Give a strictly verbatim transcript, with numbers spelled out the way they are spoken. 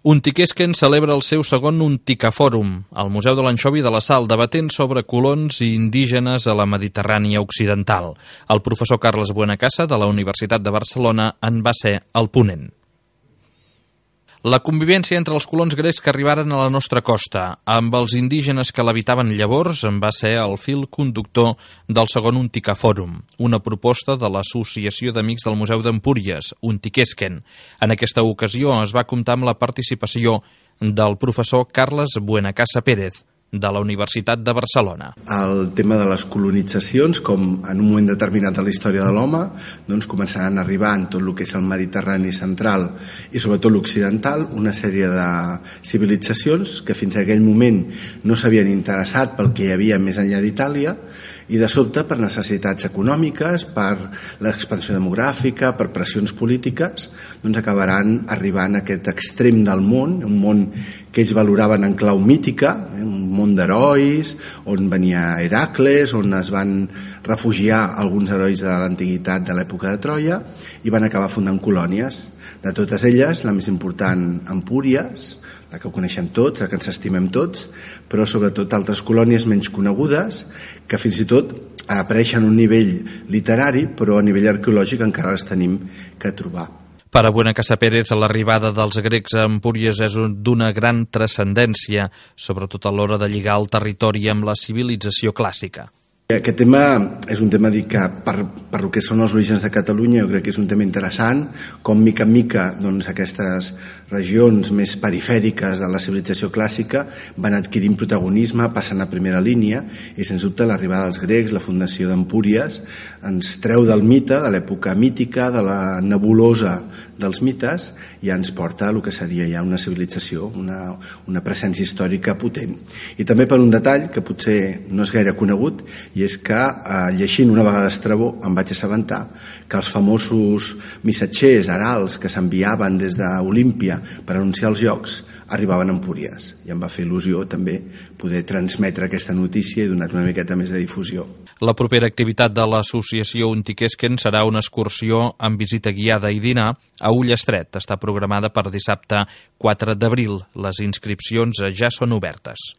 Untiquesquen celebra el seu segon Unticafòrum al Museu de l'Anxovi de la Sal, debatent sobre colons i indígenes a la Mediterrània occidental. El professor Carles Buenacasa, de la Universitat de Barcelona, en va ser el ponent. La convivència entre els colons grecs que arribaren a la nostra costa amb els indígenes que l'habitaven llavors en va ser el fil conductor del segon Unticafòrum, una proposta de l'Associació d'Amics del Museu d'Empúries, Untiquesquen. En aquesta ocasió es va comptar amb la participació del professor Carles Buenacasa Pérez, de la Universitat de Barcelona. El tema de les colonitzacions, com en un moment determinat de la història de l'home, doncs començaran a arribar en tot el que és el Mediterrani central i sobretot l'occidental, una sèrie de civilitzacions que fins a aquell moment no s'havien interessat pel que hi havia més enllà d'Itàlia, i de sobte per necessitats econòmiques, per l'expansió demogràfica, per pressions polítiques, doncs acabaran arribant a aquest extrem del món, un món que ells valoraven en clau mítica, eh, un món d'herois, on venia Heracles, on es van refugiar alguns herois de l'antiguitat de l'època de Troia, i van acabar fundant colònies. De totes elles, la més important, Empúries, la que ho coneixem tots, la que ens estimem tots, però sobretot altres colònies menys conegudes, que fins i tot apareixen a un nivell literari, però a nivell arqueològic encara les tenim que trobar. Per a Buenacasa Pérez, l'arribada dels grecs a Empúries és d'una gran transcendència, sobretot a l'hora de lligar el territori amb la civilització clàssica. Aquest tema és un tema dic, que per, per el que són els orígens de Catalunya jo crec que és un tema interessant, com mica en mica doncs, aquestes regions més perifèriques de la civilització clàssica van adquirint protagonisme, passen a primera línia, i sens dubte l'arribada dels grecs, la fundació d'Empúries, ens treu del mite, de l'època mítica, de la nebulosa dels mites, i ens porta a el que seria ja una civilització, una, una presència històrica potent. I també per un detall que potser no és gaire conegut, i és que eh, llegint una vegada Estrabó em vaig assabentar que els famosos missatgers, herals que s'enviaven des d'Olímpia per anunciar els jocs arribaven a Empúries, i em va fer il·lusió també poder transmetre aquesta notícia i donar una miqueta més de difusió. La propera activitat de l'associació Untiquesquen serà una excursió amb visita guiada i dinar a Ullastret. Està programada per dissabte quatre d'abril. Les inscripcions ja són obertes.